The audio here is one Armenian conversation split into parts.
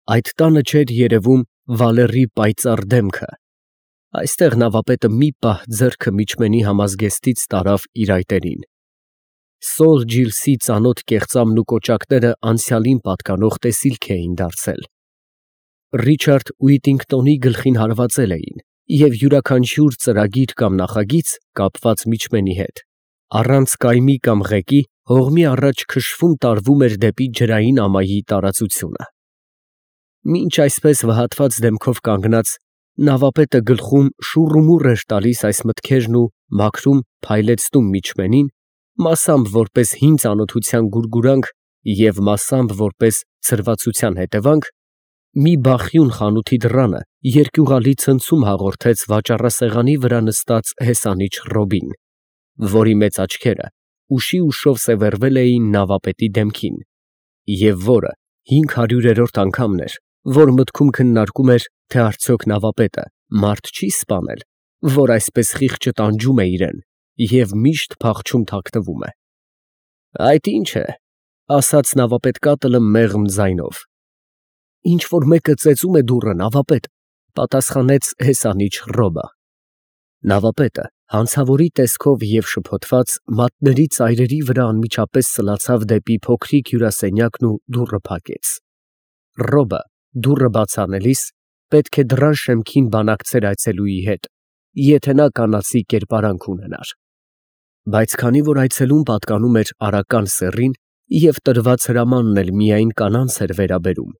Այդ տանը չէր երևում Վալերի պայծառ դեմքը։ Այստեղ նավապետը մի պահ ձեռքը միջմենի համազգեստից տարավ իր այտերին։ Սոլ Ջիլսի ծանոթ կեղծամն ու կոճակները անցյալին պատկանող տեսիլք էին դարձել։ Ռիչարդ Ուիտինգտոնի գլխին հարվածել էին, և յուրաքանչյուր ծրագիր կամ նախագիծ կապված միջմենի հետ, առանց կայմի կամ ղեկի, հողմի առաջ քշվում տարվում էր դեպի ջրային ամայի տարածությունը։ Մինչ այսպես վհատված դեմքով կանգնած, նավապետը գլխում շուռումուռ էր տալիս այս մտքերն ու մաքրում փայլեցնում միջմենին, մասամբ որպես հին ծանոթության գուրգուրանք և մասամբ որպես ցրվածության հետևանք, մի բախյուն խանութի դռանը երկյուղալի ցնցում հաղորդեց վաճառասեղանի վրա նստած հեսանիչ Ռոբին, որի մեծ աչքերը ուշի ուշով սևեռվել էին նավապետի դեմքին, և որը 500-րդ անգամն էր, որ մտքում քննարկում էր, թե արդյոք նավապետը մարդ չի սպանել, որ այսպես խիղճը տանջում է իրեն և միշտ փախչում թաքնվում է։ Այդ ի՞նչ է, ասաց նավապետկատլը մեղմ ձայնով։ Ինչ֊որ մեկը ծեծում է դուռը, նավապետ, պատասխանեց հեսանիչ Ռոբը։ Նավապետը հանցավորի տեսքով և շփոթված մատների ծայրերի վրա անմիջապես սլացավ դեպի փոքրիկ հյուրասենյակն ու դուռը փակեց։ Ռոբը դուռը բաց անելիս պետք է դռան շեմքին բանակցեր այցելուի հետ, եթե նա կանացի կերպարանք ունենար։ Բայց քանի որ այցելուն պատկանում էր արական սեռին և տրված հրամանն էլ միայն կանանց էր վերաբերում,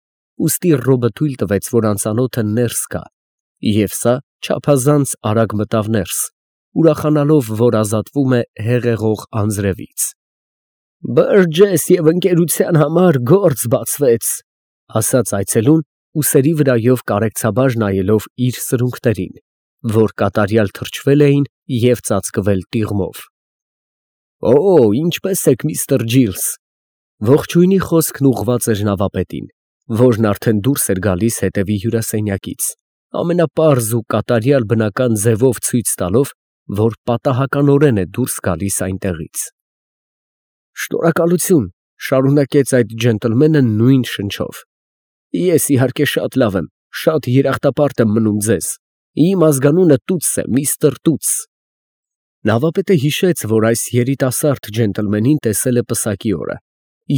ուստի Ռոբը թույլ տվեց, որ անծանոթը ներս գա, և սա չափազանց արագ մտավ ներս, ուրախանալով, որ ազատվում է հեղեղող անձրևից։ «Բըրջես և ընկերության համար գործ բացվեց», ասաց այցելուն, ուսերի վրայով կարեկցաբար նայելով իր սրունքներին, որ կատարյալ թրջվել էին և ծածկվել տիղմով։ «Օ, ինչպե՞ս եք, միստր Ջիլս»։ Ողջույնի խոսքն ուղղված էր նավապետին, որն արդեն դուրս էր գալիս հետևի հյուրասենյակից, ամենապարզ ու կատարյալ բնական ձևով ցույց տալով, որ պատահականորեն է դուրս գալիս այնտեղից։ «Շնորհակալություն», շարունակեց այդ ջենտլմենը նույն շնչով։ «Ես իհարկե շատ լավ եմ, շատ երախտապարտ եմ մնում ձեզ։ Իմ ազգանունը Տուտս է, միստր Տուտս»։ Նավապետը հիշեց, որ այս երիտասարդ ջենտլմենին տեսել է պսակի օրը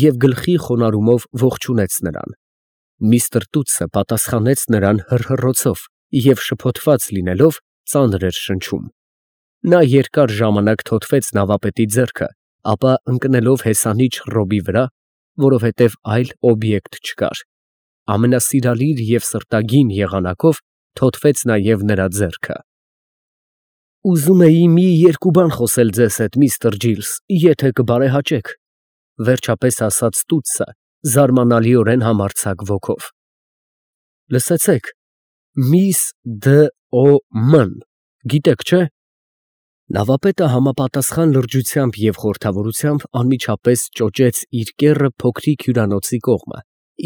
և գլխի խոնարհումով ողջունեց նրան։ Միստր Տուտսը պատասխանեց նրան հռհռոցով և շփոթված լինելով ծանր էր շնչում։ Նա երկար ժամանակ թոթվեց նավապետի ձեռքը, ապա ընկնելով հեսանիչ Ռոբի վրա, որովհետև այլ օբյեկտ չկար, ամենասիրալիր և սրտագին եղանակով թոթվեց նաև նրա ձեռքը։ «Ուզում էի մի երկու բան խոսել ձեզ հետ, միստր Ջիլս, եթե կբարեհաճեք», վերջապես ասաց Տուտսը զարմանալիորեն համարձակ ոգով։ «Լսեցեք, Միս Դ.Օ.Մ.-ն, գիտեք, չէ՞։ Նավապետը համապատասխան լրջությամբ և խորհրդավորությամբ անմիջապես ճոճեց իր կեռը փոքրիկ հյուրանոցի կողմը,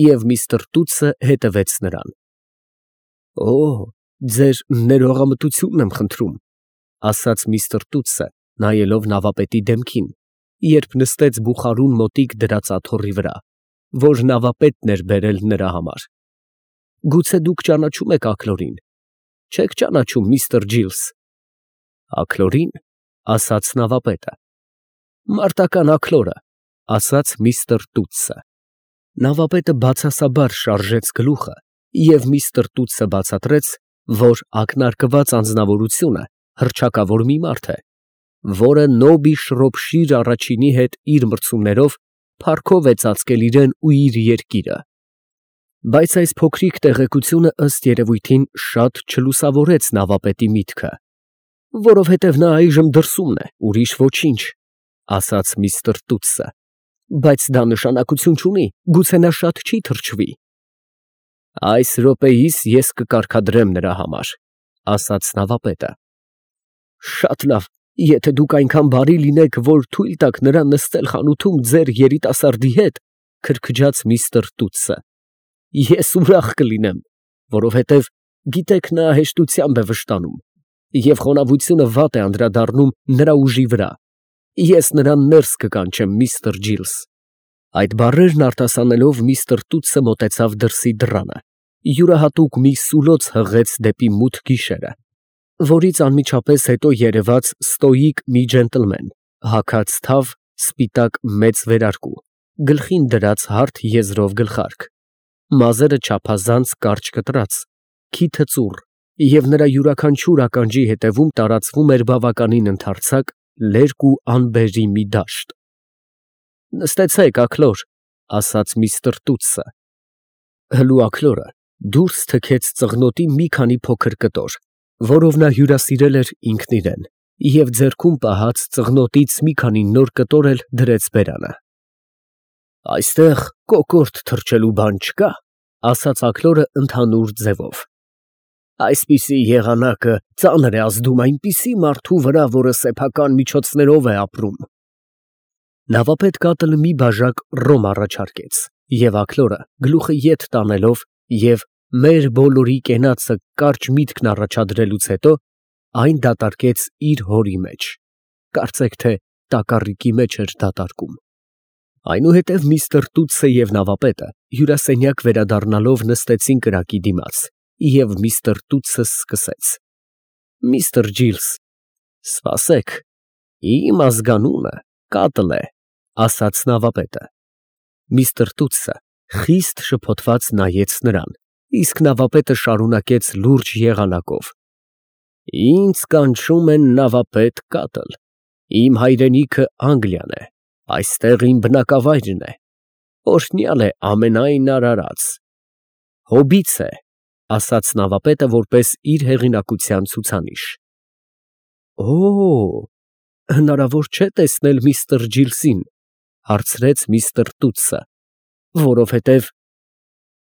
և միստր Տուտսը հետևեց նրան։ «Օ, ձեր ներողամտությունն եմ խնդրում», ասաց միստր Տուտսը, նայելով նավապետի դեմքին, երբ նստեց բուխարուն մոտիկ դրած աթոռի վրա, որ նավապետն էր բերել նրա համար։ «Գուցե դուք ճանաչում եք Աքլորին, չե՞ք ճանաչում, միստր Ջիլս»։ «Աքլորի՞ն», ասաց նավապետը։ «Մարտական աքլորը», ասաց միստր Տուտսը։ Նավապետը բացասաբար շարժեց գլուխը, և միստր Տուտսը բացատրեց, որ ակնարկված անձնավորությունը հռչակավոր մի մարդ է, որը Նոբի Շրոփշիր առաջինի հետ իր մրցումներով փառքով է ծածկել իրեն ու իր երկիրը։ Բայց այս փոքրիկ տեղեկությունը ըստ երևույթին շատ չլուսավորեց նավապետի միտքը։ «Որովհետև նա այժմ դրսումն է, ուրիշ ոչինչ», ասաց միստր Տուտսը։ «Բայց դա նշանակություն չունի, գուցե նա շատ չի թրջվի»։ «Այս րոպեիս ես կկարգադրեմ նրա համար», ասաց նավապետը։ «Շատ լավ, եթե դուք այնքան բարի լինեք, որ թույլ տաք նրան նստել խանութում ձեր երիտասարդի հետ», քրքջաց միստր Տուտսը։ «Ես ուրախ կլինեմ, որովհետև, գիտեք, նա հեշտությամբ է վշտանում, և խոնավությունը վատ է անդրադառնում նրա ուժի վրա։ Ես նրան ներս կկանչեմ, միստր Ջիլս»։ Այդ բառերն արտասանելով միստր Տուտսը մոտեցավ դրսի դռանը յուրահատուկ մի սուլոց հղեց դեպի մութ գիշերը, որից անմիջապես հետո երևաց ստոիկ մի ջենտլմեն, հագած թավ, սպիտակ մեծ վերարկու, գլխին դրած հարթ եզրով գլխարկ, մազերը չափազանց կարճ կտրած, քիթը ծուռ, և նրա յուրաքանչյուր ականջի ետևում տարածվում էր բավականին ընդարձակ, լերկ ու անբերի մի դաշտ։ «Նստեցեք, Աքլոր», ասաց միստր Տուտսը։ Հլու Աքլորը դուրս թքեց ծղնոտի մի քանի փոքր կտոր, որով նա հյուրասիրել էր ինքն իրեն, և ձեռքում պահած ծղնոտից մի քանի նոր կտոր էլ դրեց բերանը։ «Այստեղ կոկորդ թռչելու բան չկա», ասաց Աքլորը ընդհանուր ձևով։ «Այսպիսի եղանակը ծանր է ազդում այնպիսի մարդու վրա, որը սեփական միջոցներով է ապրում»։ Նավապետ կատլը մի բաժակ ռոմ առաջարկեց, և Աքլորը, գլուխը ետ տանելով և մեր բոլորի կենացը կարճ միտքն առաջադրելուց հետո, այն դատարկեց իր հորի մեջ, կարծեք թե տակառիկի մեջ էր դատարկում։ Այնուհետև միստր Տուտսը և նավապետը հյուրասենյակ վերադառնալով նստեցին կրակի դիմաց, և միստր Տուտսը սկսեց. «Միստր Ջիլս, սպասեք, իմ ազգանունը Կատլ է», ասաց նավապետը։ Միստր Տուտսը խիստ շփոթված նայեց նրան, իսկ նավապետը շարունակեց լուրջ եղանակով. «Ինձ կանչում են նավապետ Կատլ, իմ հայրենիքը Անգլիան է, այստեղ իմ բնակավայրն է, օրհնյալ է ամենայն արարած»։ «Հոբից է», ասաց նավապետը որպես իր հեղինակության ցուցանիշ։ «Օ, հնարավոր չէ տեսնել միստր Ջիլսին», հարցրեց միստր Տուտսը, «որովհետև…»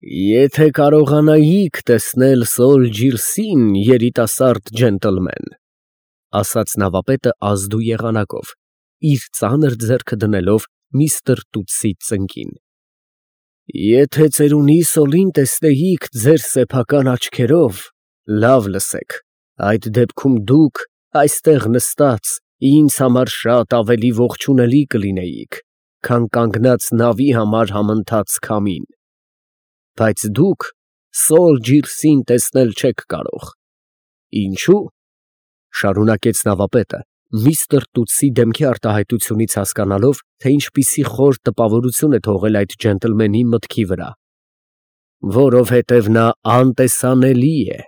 «Եթե կարողանայիք տեսնել Սոլ Ջիլսին, երիտասարդ ջենտլմեն», ասաց նավապետը ազդու եղանակով, իր ծանր ձեռքը դնելով միստր Տուտսի ծնկին։ «Եթե ծերունի Սոլին տեսնեիք ձեր սեփական աչքերով, լավ լսեք, այդ դեպքում դուք այստեղ նստած ինձ համար շատ ավելի ողջունելի կլինեիք, քան կանգնած նավի համար համընթաց քամին։ Բայց դուք Սոլ Ջիլսին տեսնել չեք կարող։ Ինչո՞ւ», շարունակեց նավապետը, միստր Տուտսի դեմքի արտահայտությունից հասկանալով, թե ինչպիսի խոր տպավորություն է թողել այդ ջենտլմենի մտքի վրա։ «Որովհետև նա անտեսանելի է»։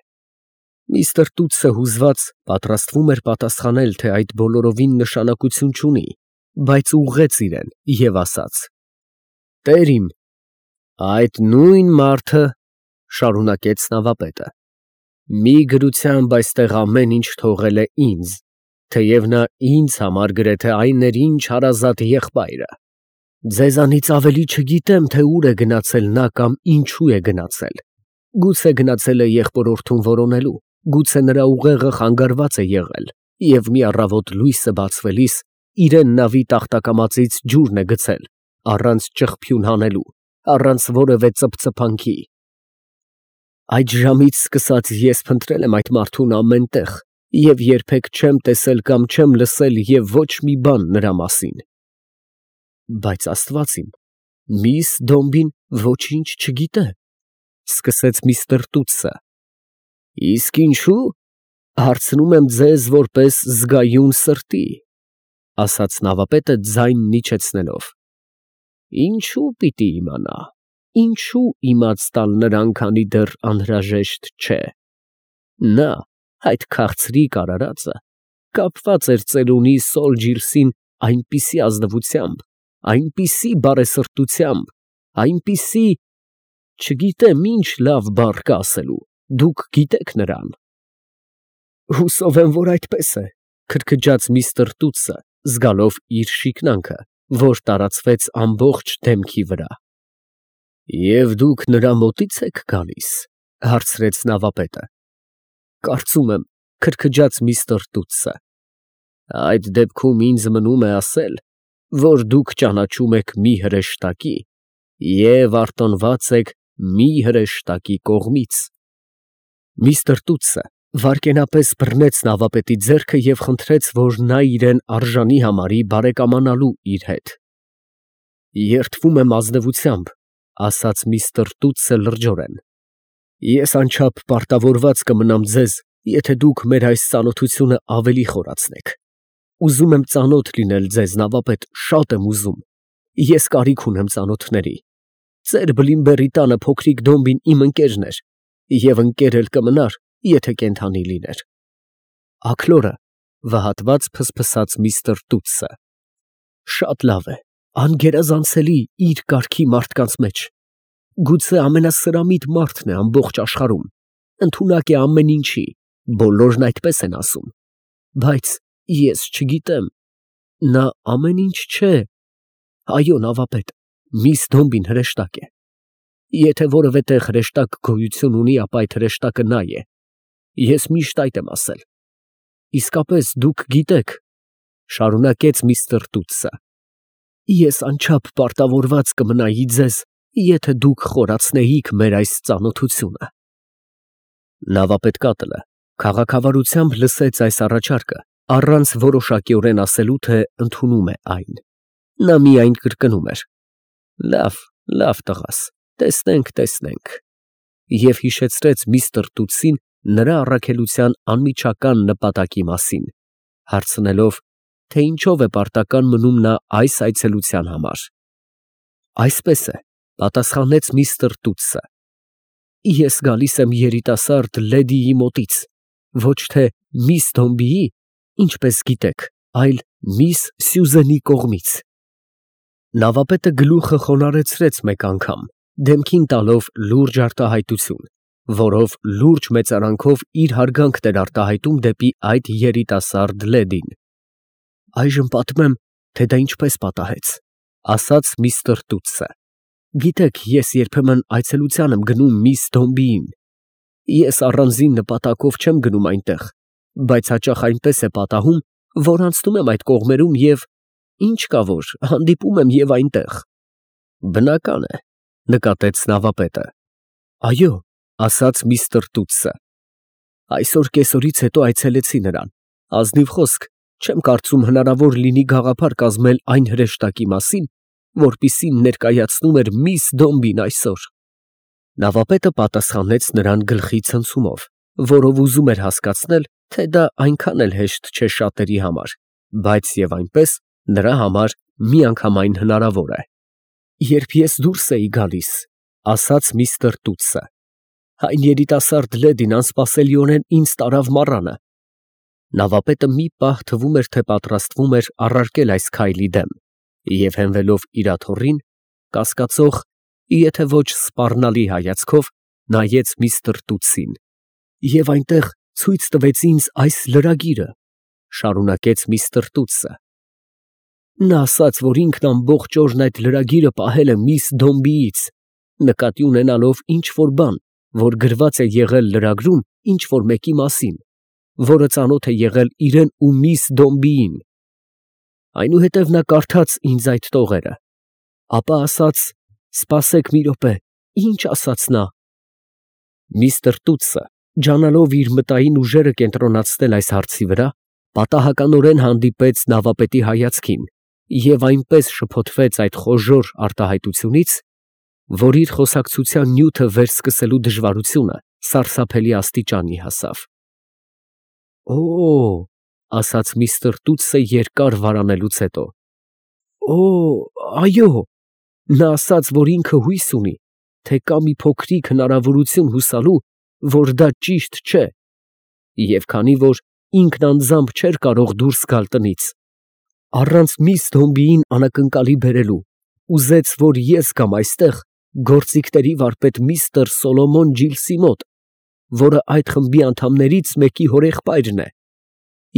Միստր Տուտսը հուզված պատրաստվում էր պատասխանել, թե այդ բոլորովին նշանակություն չունի, բայց ուղղեց իրեն և ասաց. «Տեր իմ, այդ նույն մարդը, ֊ շարունակեց նավապետը, ֊ մի գրությամբ այստեղ ամեն ինչ թողել է ինձ, թեև նա ինձ համար գրեթե այներինչ հարազատ եղբայր է։ Ձեզանից ավելի չգիտեմ, թե ուր է գնացել նա կամ ինչու է գնացել։ Գուցե գնացել է եղբորորդուն որոնելու, գուցե նրա ուղեղը խանգարված է եղել, և մի առավոտ լույսը բացվելիս իրեն նավի տախտակամածից ջուրն է գցել, առանց ճղփյուն հանելու, առանց որևէ ծփծփանքի։ Այդ ժամից սկսած ես փնտրել եմ այդ մարդուն ամեն տեղ և երբեք չեմ տեսել կամ չեմ լսել և ոչ մի բան նրա մասին։ Բայց Աստված իմ, միս Դոմբին ոչինչ չգիտե, ֊ սկսեց միստր Տուտսը։ Իսկ ինչու՞, հարցնում եմ ձեզ որպես զգայուն սրտի, ֊ ասաց նավապետը ձայնն իջեցնելով։ Ինչու պիտի իմանա, ինչու իմաց տալ նրան, քանի դեռ անհրաժեշտ չէ։ Նա, այդ քաղցրիկ արարածը, կապված էր ծերունի Սոլ Ջիլսին այնպիսի ազնվությամբ, այնպիսի բարեսրտությամբ, այնպիսի… չգիտեմ ինչ լավ բառ կա ասելու, դուք գիտեք նրան։ Հուսով եմ, որ այդպես է, ֊ քրքջաց միստր Տուտսը, զգալով իր շիկնանքը, որ տարածվեց ամբողջ դեմքի վրա։ Եվ դուք նրա մոտի՞ց եք գալիս, ֊ հարցրեց նավապետը։ Կարծում եմ, ֊ քրքջաց միստր Տուտսը, այդ դեպքում ինձ մնում է ասել, որ դուք ճանաչում եք մի հրեշտակի և արտոնված եք մի հրեշտակի կողմից։ Միստր Տուտսը վայրկենապես բռնեց նավապետի ձեռքը և խնդրեց, որ նա իրեն արժանի համարի բարեկամանալու իր հետ։ Երդվում եմ ազնվությամբ, ֊ ասաց միստր Տուտսը լրջորեն, Ես անչափ պարտավորված կմնամ ձեզ, եթե դուք մեր այս ծանոթությունը ավելի խորացնեք։ Ուզում եմ ծանոթ լինել ձեզ, նավապետ, շատ եմ ուզում։ Ես կարիք ունեմ ծանոթների։ Ծեր Բլիմբերի տանը փոքրիկ Դոմբին իմ ընկերն էր, և ընկեր էլ կմնար, եթե կենդանի լիներ։ Աքլորը վհատված փսփսաց միստր Տուտսը։ Շատ լավ է, անգերազանցելի իր կարգի մարդկանց մեջ։ Գուցե ամենասրամիտ մարդն է ամբողջ աշխարհում, ընդունակ է ամեն ինչի, բոլորն այդպես են ասում, բայց ես չգիտեմ, նա ամեն ինչ չէ։ Այո, նավապետ, միս Դոմբին հրեշտակ է։ Եթե որևէ տեղ հրեշտակ գոյություն ունի, ապա այդ հրեշտակը նա է։ Ես միշտ այդ եմ ասել։ Իսկապես դուք գիտեք, շարունակեց միստր Տուտսը, ես անչափ պարտավորված կմնայի ձեզ, եթե դուք խորացնեիք մեր այս ծանոթությունը։ Նավապետկատլը քաղաքավարությամբ լսեց այս առաջարկը, առանց որոշակիորեն ասելու, թե ընդունում է այն։ Նա միայն կրկնում էր. Լավ, լավ տղաս, տեսնենք, և հիշեցրեց միստր Տուտսին նրա առաքելության անմիջական նպատակի մասին, հարցնելով, թե ինչով է պարտական մնում նա այս այցելության համար։ Այսպես է, պատասխանեց միստր Տուտսը, ես գալիս եմ երիտասարդ լեդիի մոտից, ոչ թե միս Դոմբիի, ինչպես գիտեք, այլ միս Սյուզենի կողմից։ Նավապետը գլուխը խոնարհեցրեց մեկ անգամ, դեմքին տալով լուրջ արտահայտություն, որով լուրջ մեծարանքով իր հարգանքն էր արտահայտում դեպի այդ երիտասարդ լեդին։ Այժմ պատմեմ, թե դա ինչպես պատահեց, ասաց միստր Տուտսը։ Գիտեք, ես երբեմն այցելության եմ գնում միս Դոմբիին։ Ես առանձին նպատակով չեմ գնում այնտեղ, բայց հաճախ այնպես է պատահում, որ անցնում եմ այդ կողմերում և ինչ կա որ հանդիպում եմ և այնտեղ։ Բնական է, նկատեց նավապետը։ Այո, ասաց միստր Տուտսը։ Այսօր կեսօրից հետո այցելեցի նրան։ Ազնիվ խոսք, չեմ կարծում հնարավոր լինի գաղափար կազմել այն հրեշտակի մասին, որպիսին ներկայացնում էր միս Դոմբին այսօր։ Նավապետը պատասխանեց նրան գլխի ցնցումով, որով ուզում էր հասկացնել, թե դա այնքան էլ հեշտ չէ շատերի համար, բայց և այնպես նրա համար միանգամայն հնարավոր է։ Երբ ես դուրս էի գալիս, ասաց միստր Տուտսը, այն երիտասարդ լեդին անսպասելիորեն ինձ տարավ մառանը։ Նավապետը մի պահ թվում էր, թե պատրաստվում էր առարկել այս քայլի դեմ, և հենվելով իր աթոռին, կասկածող, եթե ոչ սպառնալի հայացքով, նայեց միստր Տուտսին։ Եվ այնտեղ ցույց տվեց ինձ այս լրագիրը, շարունակեց միստր Տուտսը։ Նա ասաց, որ ինքն ամբողջ օրն այդ լրագիրը պահել է միս Դոմբիից, նկատի ունենալով ինչ-որ բան, որ գրված է եղել լրագրում ինչ-որ մեկի մասին, որը ծանոթ է եղել իրեն ու միս Դոմբիին։ Այնուհետև նա կարդաց ինձ այդ տողերը, ապա ասաց. «Սպասեք մի րոպե, ի՞նչ ասաց նա»։ Միստր Տուտսը, ջանալով իր մտային ուժերը կենտրոնացնել այս հարցի վրա, պատահականորեն հանդիպեց նավապետի հայացքին և այնպես շփոթվեց այդ խոժոռ արտահայտությունից, որ իր խոսակցության նյութը վերսկսելու դժվարությունը սարսափելի աստիճանի հասավ։ «Օ՜», ասաց միստր Տուտսը երկար վարանելուց հետո։ «Օ, այո, նա ասաց, որ ինքը հույս ունի, թե կա մի փոքրիկ հնարավորություն հուսալու, որ դա ճիշտ չէ, և քանի որ ինքն անձամբ չէր կարող դուրս գալ տնից, առանց միս Դոմբիին անակնկալի բերելու, ուզեց, որ ես գամ այստեղ գործիքների վարպետ միստր Սոլոմոն Ջիլսի մոտ, որը այդ խմբի անդամներից մեկի հորեղբայրն է,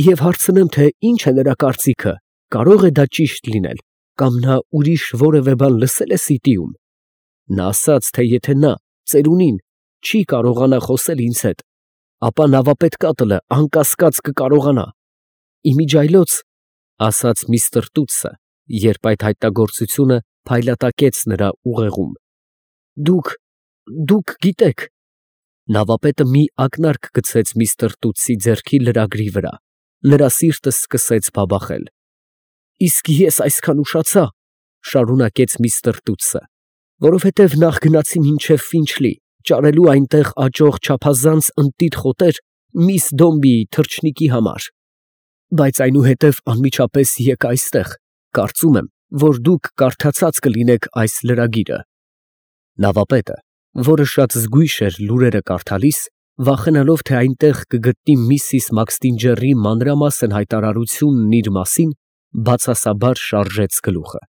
և հարցնեմ, թե ինչ է նրա կարծիքը, կարող է դա ճիշտ լինել, կամ նա ուրիշ որևէ բան լսել է սիտիում։ Նա ասաց, թե եթե նա, ծերունին, չի կարողանա խոսել ինձ հետ, ապա նավապետ Կատլը անկասկած կկարողանա։ Իմիջիայլոց, ասաց միստր Տուտսը, երբ այդ հայտնագործությունը փայլատակեց նրա ուղեղում, դուք գիտեք։ Նավապետը մի ակնարկ գցեց միստր Տուտսի ձեռքի լրագրի վրա, նրա սիրտը սկսեց բաբախել։ Իսկ ես այսքան ուշացա, շարունակեց միստր Տուտսը, որովհետև նախ գնացի մինչև Ֆինչլի, ճարելու այնտեղ աճող չափազանց ընտիր խոտեր միս Դոմբիի թռչնիկի համար։ Բայց այնուհետև անմիջապես եկա այստեղ, կարծում եմ, որ դուք կարդացած կլինեք այս լրագիրը։ Նավապետը, որը շատ զգույշ էր լուրերը կարդալիս, վախենալով, թե այնտեղ կգտնի միսիս Մաքսթինջեռի մանրամասն հայտարարությունն իր մասին, բացասաբար շարժեց գլուխը։